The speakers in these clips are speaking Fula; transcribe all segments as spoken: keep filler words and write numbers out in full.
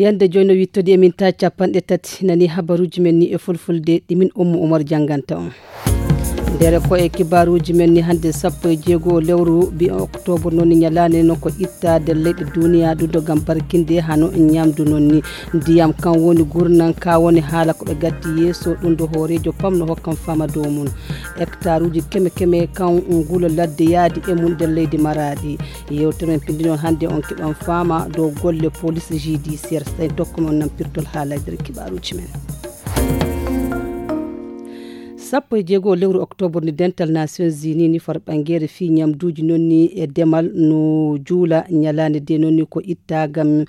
Yande joyno wittodi e min ta capanɗe tati nani habaruji men ni e fulfulde ɗi min Ummu Umar janganta on. Ndere ko e kibaruji men ni hande sappo e jeego lewru bi octobre non ni nyalane non ko itta der leyɗe duniya ɗum ɗo gam barkinde hano nyamdu non ni ndiyam kan woni gurnan ka woni haala ko ɓe gaddi yeeso ɗum ɗo hoorejo pam no hokkan fama dow mum. Hectare uji keme keme kan ngulo ladde yaadi e mum nder leydi Maraɗi. Yewtere men pindi noon hannde on keɓan faama dow golle police judiciaire. Tawi tokko mon nampirtol haalay nder kibaruji men. Sappo e jeego lewru octobre ni dental Nations Unies ni far ɓangere fii nyamduuji noon ni e demal no juula nyalaande de noon ni ko itta gam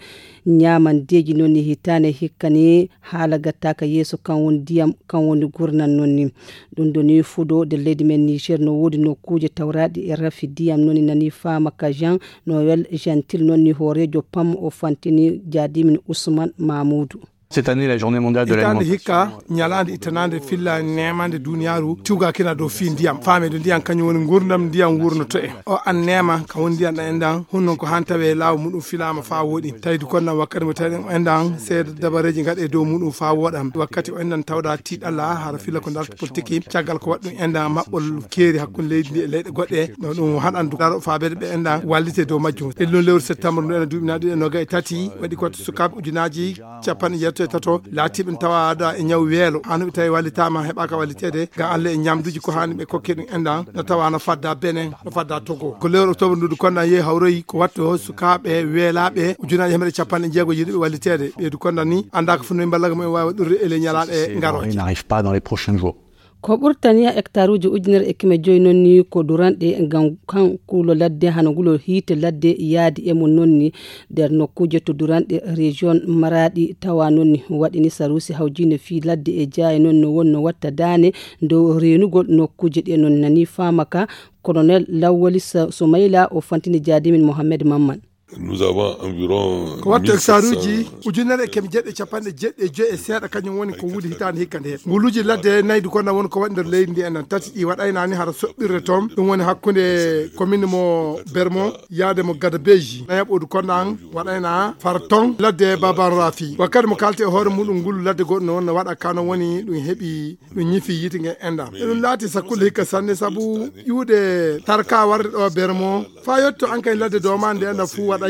nyamandeeji noon ni hitaane hikka ni haala gattaaka yeeso kan woni ndiyam kan woni gurnan noon ni. Ɗum ɗo ni fuɗo de leydi men Niger no woodi nokkuuje tawraaɗi e rafi ndiyam noon ni nani faama ka Jean Noël Gentil noon ni hooreejo pam o fantini jaadimin Ousmane Mamoudou. Cette année, la journée mondiale de hitaande l'alimentation hikka nyalaande ittanande filla nemande duniyaaru tiwgakina dow fii ndiyam faameede ndiyam kañum woni ngurdam ndiyam wurnoto en o an neema ka woni ndiyam ɗan enɗan honnon ko han tawe laawo muɗum filaama faa wooɗi tawdi kon nan wakkati mo tawi ɗen enɗan seeda dabareeji ngaɗe dow muɗum faa wooɗam wakkati o enɗan tawda tiiɗalla hara filla ko darta politiki caggal ko waɗɗum enɗan maɓɓol keeri hakkunde leydi ndi e leyɗe goɗɗe no ɗum haɗan daro faabeede ɓe enɗan wallite dow majjum e ɗum lewru septembre ndu ena duuɓi na ɗiɗi e noga e tati waɗi ko sukaaɓe ujunaji capanɗe jeetato e tato laatiiɓe ne tawaɗa e ñaw weelo haa no ɓe tawi wallitaama heɓaaka walliteede ga Allah e ñamduuji ko haani ɓe kokke ɗum enɗan no tawa no fadda Benin no fadda Togo ko lewru octobre ndu du konɗan yehi hawroyi ko watto sukaaɓe weelaaɓe ujunaji hemre capanɗe jeego yiɗuɓe walliteede ɓeydu konɗan ni annda ko funnoyi mballagol mumen waawi waɗɗude e ley ñalaaɗe ngarooje. N'arrive pas dans les prochains jours. Ko ɓurtani hectare uji ujunere e keme joyi noon ni ko duranɗe ngam kan kuulo ladde hano ngulo hiite ladde yaadi e mum noon ni nder nokkuuje to duranɗe région Maraɗi tawa noon ni waɗini sarusi hawjinde fii ladde e jaaye noon no wonno watta daane dow reenugol nokkuuje ɗe noon nani faama ka colonel Lawwali Sa- Sumayla o fantini jaadimin Mohammed Mamman. Nous avons environ ko wattu hectare uji ujunere e keme jeɗɗi e capanɗe jeɗɗi e joyi e seeɗa kañum woni ko wuuli hitaande hikka nde nguluuji ladde nayi du konɗan woni ko waɗi nder leydi ndi enen tati ɗi waɗaynaani hara soɓɓirde toon ɗum woni hakkunde commune mo Bermo yaade mo Gadabeji nayaɓodu konɗan waɗayna far toon ladde Baban Rafi wakkati mo kalte e hoore muɗum ngulu ladde goɗɗo no wonno waɗa kano woni ɗum heɓi ɗum ñifi yiite nge enɗan eɗum laati sakkulle hikka sanne sabu ƴuuɗe tarka warde ɗo Bermo faa yetto an kay ladde doomande enɗan fuu waɗay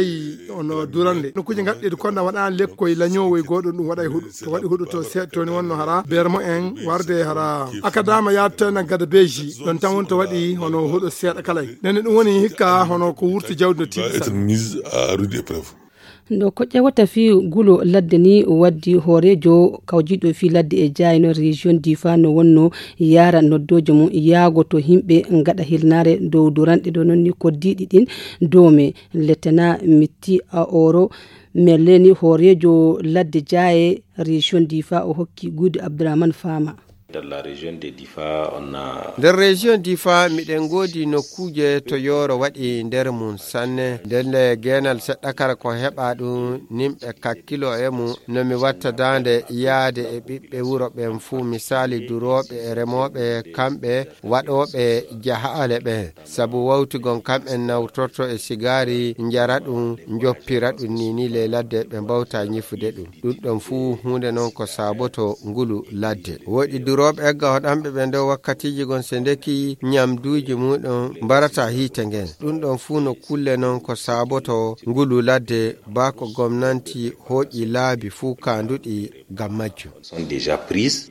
ono durande nokkuuje ngaɗɗeede konɗan waɗa lekkoy lañoowoy gooɗo ɗum waɗay huɗo to waɗi huɗo to seeɗa toni wonno hara Bermo en warde hara akadama yaade to enɗan Gadabeji ɗon tan woni to waɗi hono huɗo seeɗa kalay nene ɗum woni hikka hono ko wurti jawdi no tiiɗi sanne. Mise à rude épreuve. Ndo ko ƴewata fii gulo ladde ni waddi hooreejo kawjiiɗo fii ladde e jaayno région Difa no wonno yaara noddooje mum yaago to yimɓe ngaɗa hirnaare dow duranɗe ɗo noon ni koddiiɗi ɗin doome letena mitti a oro melleni hooreejo ladde jaaye région Difa o hokki Guudu Abdourahmane Fama. Dans la région de Difa, on a nder région Difa miɗen ngoodi nokkuuje to yooro waɗi nder mum sanne ndelle geenal seɗɗa kala ko heɓa ɗum nimɓe kakkilo e mum no mi watta daande yaade e ɓiɓɓe wuro ɓen fuu misali durooɓe e remooɓe kamɓe waɗooɓe jahaale ɓen sabu wawtigol kamɓen nawtorto e sigaari njara ɗum njoppira ɗum ni ni ley ladde ɓe mbawta ñifude ɗum ɗum ɗon fuu huunde non ko saaboto ngulu ladde woɗi durooɓe egga hoɗanɓe ɓe nder wakkatiiji gon se ndeki ñamduuji muɗum mbarata hiite ngen ɗum ɗon fuu no kulle non ko saaboto ngulu ladde baa ko gomnanti hooƴi laabi fuu kaanduɗi ngam majjum. Sont déjà prises.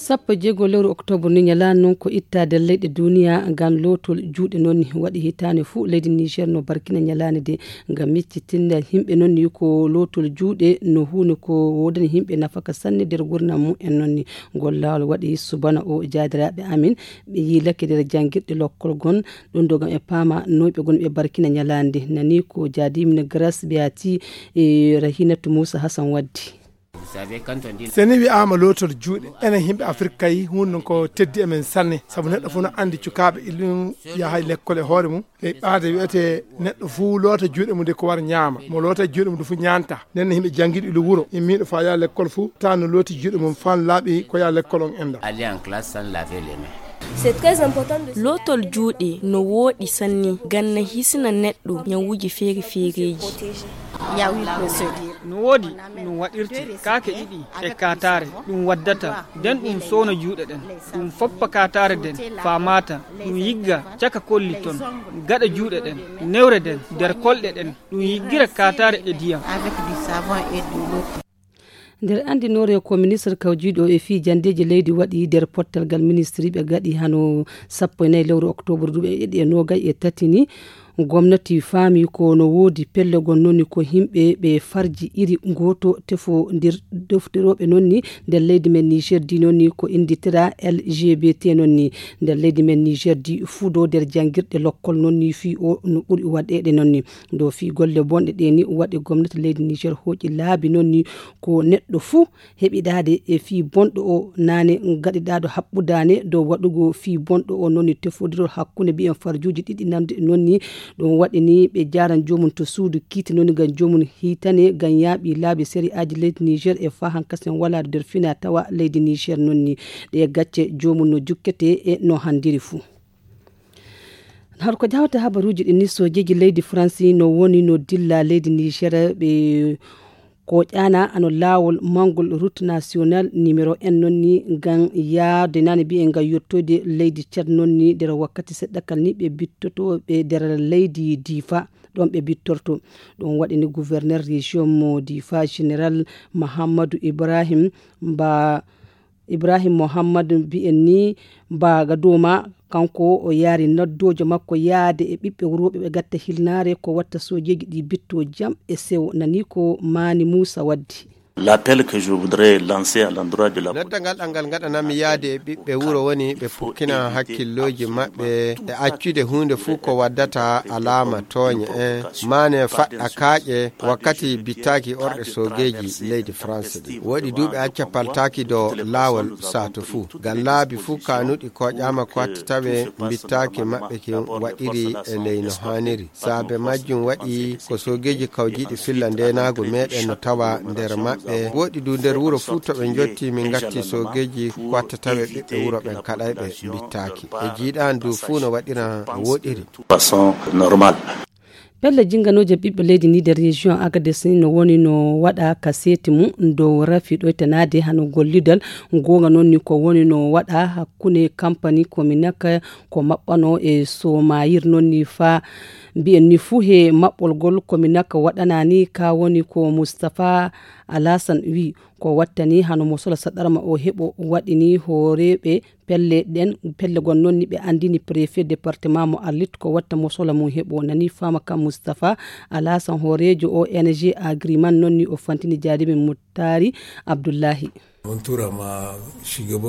Sappo e jeego lewru octobre ni ñalaani noon ko ittaade leyɗe duniya ngam lootol juuɗe noon ni waɗi hitaande fuu leydi Niger no barkina ñalaande de ngam miccitinde yimɓe noon ni ko lootol juuɗe no huunde ko woodani yimɓe nafaka sanne nder gurdam mumen noon ni ngol laawol waɗi subana o jaadiraaɓe amin ɓe yiilake nder janngirɗe lokkol gon ɗum ɗo gam e paama noyɓe gon ɓe barkina ñalaande nani ko jaadimin Grace Beati e Rahinatu Moussa Hassan waddi. Seni wi'aama lootol juuɗe enen yimɓe Afirka kay hunde ko teddi emen sanne sabu neɗɗo fof no anndi cukaaɓe iɗum yahay lekkol e hoore mum e ɓaade wi'ete neɗɗo fof loota juuɗe mum de ko war ñaama mo loota juuɗe mum de fof ñaanta nden yimɓe janngiiɗo ilo wuro immiiɗo faa yaha lekkol fof tawa no looti juuɗe mum fan laaɓi ko yaha lekkol on enda. Aller en classe sans laver les mains. Lootol juuɗe no wooɗi sanne ngam na hisina neɗɗo ñawuuji feere-feereeji. No woodi no waɗirte kaake ɗiɗi e kaataare. Ɗum waddata nden ɗum sowna juuɗe ɗen, ɗum foppa kaataare nden faa maata. Ɗum yigga caka kolli ton, gaɗa juuɗe ɗen, newre nden, nder kolɗe ɗen. Ɗum yiggira kaataare e diyam. Nder anndinoore ko ministre kawjiiɗo e fii janndeeji leydi waɗi nder pottal ngal ministri ɓe gaɗi hano sappo e nayi lewru oktoobar duuɓi e ɗiɗi e noogay e tati ni, gomnati faami ko no woodi pelle gon noni ko yimɓe ɓe farji iri gooto tefondir deftirooɓe nonni nder leydi men niger di nonni ko innditira lgbt nonni nder leydi men niger di fudo nder janngirɗe lokkol nonni fii o no ɓuri waɗeede nonni. Ɗo fii golle bonɗe ɗe ni waɗi gomnati leydi niger hooƴi laabi nonni ko neɗɗo fuu heɓidaade e fii bonɗo o naane gaɗiɗaaɗo haɓɓudaane dow waɗugo fii bonɗo o nonni tefodirol hakkunde mbiyen farjuuji ɗiɗi nanndi nonni. Ɗum waɗi ni ɓe jaaran joomum to suudu kiite nonni ngam joomum hiitane ngam yaaɓi laabi sari'aaji leydi niger e faa hankasen walaade nder fina tawa leydi niger nonni. Ɗe gacce joomum no jukkete e no hanndiri fuu. Har ko jahata habaruuji ɗin ni soojeeji leydi faransi no woni no dilla leydi niger ɓe ko ƴaana ano laawol manngol route national numéro un nonni ngam yaade nane mbiye ngam yettoyde leydi tchad nonni nder wakkati seɗɗa kal ni ɓe bittotooɓe nder leydi difa. Ɗon ɓe bittorto ɗum waɗini gouverneur région mo difa général mahamadou ibrahim mba ibrahim mouhammad mbiyen ni mbaga dow ma. Kanko o yaari noddoojo makko yaade e ɓiɓɓe wurooɓe ɓe gatta hilnaare ko watta soojeeji ɗi bitto jam e sewo nani ko maani muusa waddi. L'appel que je voudrais lancer à l'endroit de la nodda ngal ɗal ngal ngaɗanami yaade e ɓiɓɓe wuro woni ɓe pukkina hakkillooji maɓɓe e accude huunde fuu ko waddata alaama tooñe en maane faɗɗa kaaƴe wakkati bittaaki orɗe soogeeji leydi france ɗi woɗi duuɓi acca paltaaki do laawol sato fuu ngam laabi fuu kanuɗi koƴaama ko watta tawe bittaaki maɓɓe kin waɗiri e ley no haaniri. Saabe majjum waɗi ko soogeeji kawjiiɗi filla ndeenaagu meeɗen no tawa nder maɓɓe woɗi du nder wuro fuu to ɓe njotti min ngatti soogeeji ko watta tawe ɓiɓɓe wuro ɓen kaɗayɓe mbittaaki e jiiɗaani du fuu no waɗira woɗiri. Façon normal. Pelle jinganooje ɓiɓɓe leydi ni nder région agades ni no woni no waɗa ka seeti mum dow rafi ɗoytanaade hano gollidal. Goonga noon ni ko woni no waɗa hakkunde kampani kominak ko maɓɓano e somayir noon ni faa mbiyen ni fuu he maɓɓolgol kominak waɗanani ka woni ko mustapha alasan wi ko wattani hano mo sola saɗarma o heɓo waɗini hooreeɓe pelle ɗen pelle gon noon ni ɓe anndini préfet département mo arlit ko watta mo sola mum heɓo nani faama kam mustapha alasan hooreejo o ng agriman noon ni o fantini jaadimen muttaari abdullahi.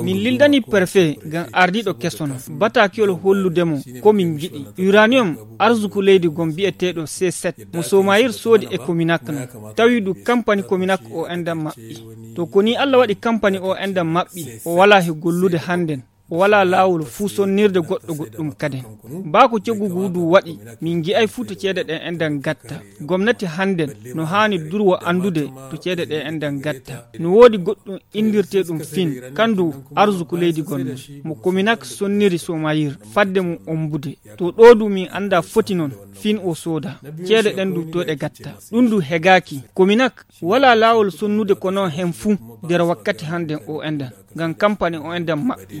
Min lildani perfe ngam ardiiɗo kesono bataakiyol hollude mo ko min ngiɗi uranium arsuku leydi gom biyeteeɗo c sept mo somayir soodi e kominak no tawi du kampani kominak o endan maɓɓi. To ko ni allah waɗi kampani o endan maɓɓi o walaa he gollude hannden o walaa laawol fuu sonnirde goɗɗo goɗɗum kaden. Baa ko coggu ngu du waɗi min ngi'ay fuu to ceede ɗen endan gatta. Gomnati hannden no haani durwo anndude to ceede ɗe endan gatta. No woodi goɗɗum inndirteeɗum fin kan du arsuku leydi gonno mo kominak sonniri somayir fadde mum ombude. To ɗoo du min anndaa foti non fin o sooda ceede ɗen du to ɗe gatta. Ɗum du hegaaki kominak walaa laawol sonnude ko non hen fuu nder wakkati hannden o endan ngam kampani o endan maɓɓi.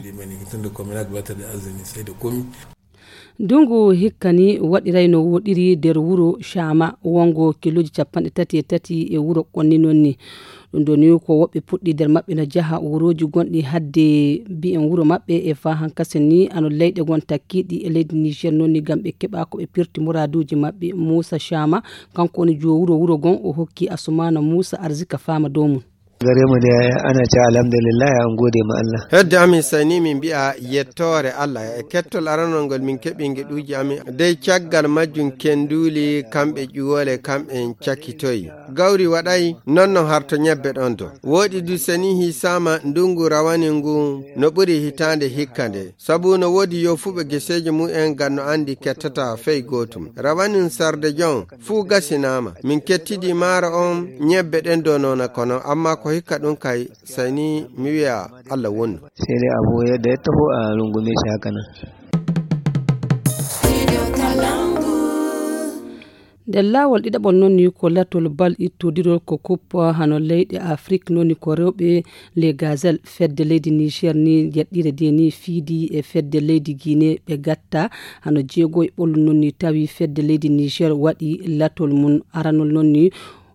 Ndungu hikka ni waɗiray no woɗiri nder wuro shama wongo kilooji capanɗe tati e tati e wuro qonni noon ni. Ɗum ɗo ni ko woɓɓe puɗɗi nder maɓɓe no jaha wurooji gonɗi hadde mbiyen wuro maɓɓe e faa hankasen ni ano leyɗe gon takkiiɗi e leydi niger noon ni ngam ɓe keɓa ko ɓe pirti muraaduuji maɓɓe muusa shama kanko woni joo wuro wuro gon o hokki asumana muusa arzika faama dow mum. Gare mu dai ana ce alhamdulillah an gode ma Allah. Hedde amin sayni min mbi'a yettoore Allah e kettol aranol ngol min keɓi ngeɗuuji amin dey caggal majjum kenduli kamɓe ƴuwole kamɓe en cakkitoyi. Gawri waɗay non non harto ñebbe ɗon do woɗi du seni hisama ndungu rawani ngu no ɓuri hitande hikka nde. Sabu no woodi yofuɓe geseeji mumen ngam no anndi kettata fey gootum. Rawanin sarde jon fuu gasinaama. Min kettidi maaro on ñebbe ɗen do noona kono amma Ko hikka ɗum kay, sayni mi wiya Allah wonno. Seede abu yadda ya taho a rungume shi haka nan. Nder laawol ɗiɗaɓol noon ni ko latol bal ittodirol ko kup hano leyɗe afrik noon ni ko rewɓe les gazelles fedde leydi niger ni yeɗɗire de ni fiidi e fedde leydi guinée ɓe gatta hano jeego e ɓolum noon ni tawi fedde leydi niger waɗi latol mum aranol noon ni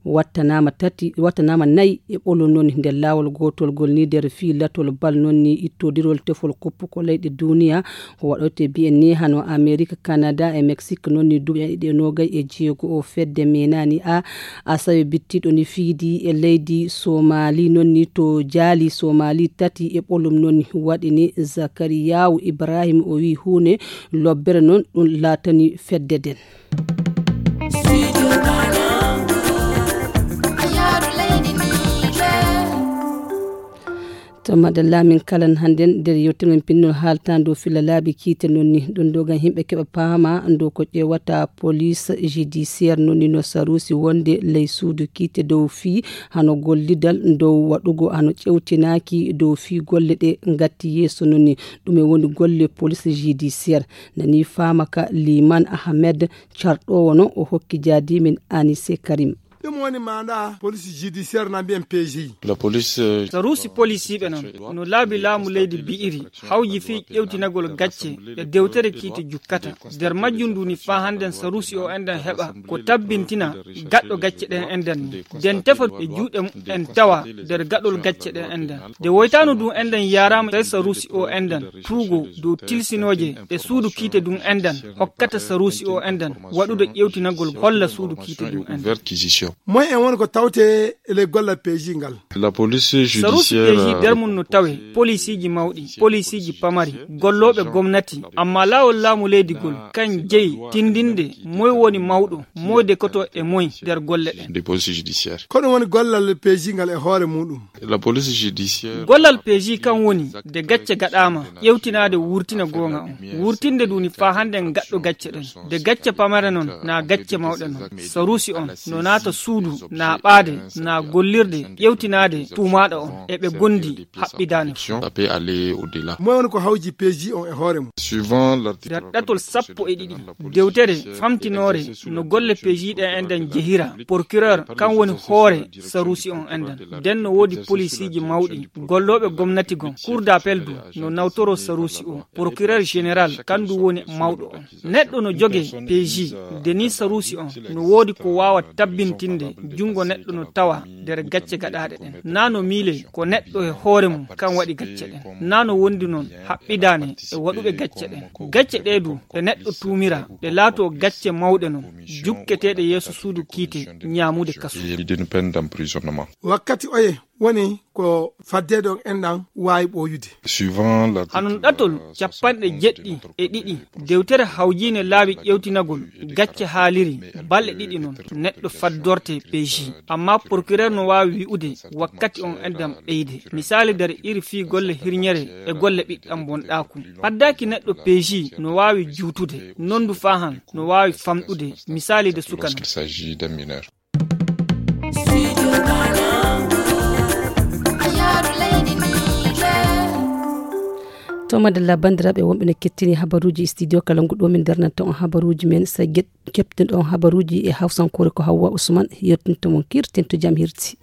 wattanaama tati wattanaama nayi e ɓolum noon nder laawol gootol ngol ni nder fii latol bal noon ni ittodirol tefol kup ko leyɗe duniya ko waɗoyte biyen ni hano amerique canada e mexique noon ni duuɓi ɗiɗi e noogay e jeego o fedde menani a asawe bittiɗo ni fiidi e leydi somali noon ni to jaali somali tati e ɓolum noon ni waɗi ni zakariyawu ibrahim o wi huunde lobbere noon ɗum laatani fedde nden. To madalla min kalan hannden nder yewtere men pinnol haalta ndu filla laabi kiite noon ni ɗum ɗo gam yimɓe keɓa paama ndu ko ƴeewata police judiciaire noon ni no sarusi wonde ley suudu kiite dow fii hano gollidal ndow waɗugo hano ƴewtinaaki dow fii golle ɗe ngatti yeeso noon ni ɗume woni golle police judiciaire nani faama ka liman ahmed carɗoowo no o hokki jaadimin anise karim. Ɗum woni maanaa police judiciaire na mbiyen peeji. Saruusi polisiiɓe noon no laabi laamu leydi bi'iri hawji fii ƴewtinagol gacce e dewtere kiite jukkata nder majjum ndu ni faa hannden saruusi o enɗen heɓa ko tabbintina gaɗɗo gacce ɗen enɗen ni nden tefa e juuɗe mum en tawa nder gaɗol gacce ɗen enɗen nde woytaano ndu enɗen yaaraama tawi saruusi o enɗen tuugo dow tilsinooje ɗe suudu kiite ndun enɗen hokkata saruusi o enɗen waɗude ƴewtinagol holla suudu kiite ndun enɗen. Moy en woni ko tawte e ley gollal peeji ngal? Saruusi peeji nder mum no tawe polisiiji mawɗi polisiiji pamari gollooɓe gomnati amma laawol laamu leydi gol kan jeyi tindinde moy woni mawɗo moy dekoto e moy nder golle ɗen. Ko ɗum woni gollal peeji ngal e hoore muɗum? Gollal peeji kan woni de gacce gaɗaama ƴewtinaade wurtina goonga on wurtinde nduni faa hannden gaɗɗo gacce ɗen de gacce pamare non na gacce mawɗe non saruusi on no naata suudu na ɓaade na gollirde ƴewtinaade tuumaaɗo on e ɓe gondi haɓɓidaani fof. Moy woni ko hawji peeji on e hoore mum? Nder ɗatol sappo e ɗiɗi dewtere famtinoore no golle peeji ɗen enɗen jehira procureur kan woni hoore saruusi on enɗen nden no woodi polisiiji mawɗi gollooɓe gomnati gon cour d'appel du no nawtoro saruusi o procureur général kan du woni mawɗo on neɗɗo no joge peeji de ni saruusi on no woodi ko waawa tabbintinde junngo neɗɗo no tawa nder gacce gaɗaaɗe ɗen na no miile ko neɗɗo e hoore mum kan waɗi gacce ɗen na no wondi non haɓɓidaane e waɗuɓe gacce ɗen gacce ɗe du ɗe neɗɗo tuumira ɗe laato gacce mawɗe non jukketeeɗe yeeso suudu kiite ñaamude kasu. Wakkati oye woni ko faddeede on enɗan waawi ɓooyude? Hanon ɗatol capanɗe jeɗɗi e ɗiɗi dewtere hawjiinde laawi ƴewtinagol gacce haaliri balɗe ɗiɗi non neɗɗo faddorte peeji amma procureur no waawi wi'ude wakkati on enɗan ɓeyde misaali nder iri fii golle hirñere e golle ɓiɗɗan bonɗaaku faddaaki neɗɗo peeji no waawi juutude nondu faahan no waawi famɗude misaali de sukano. To madalla banndiraaɓe wonɓe no kettini habaruuji studio kala ngu ɗo min darnanta on habaruuji men sa keɓtinɗo on habaruuji e hawsankoore ko hawwa usman yettinto mon kirtinto jam hirti.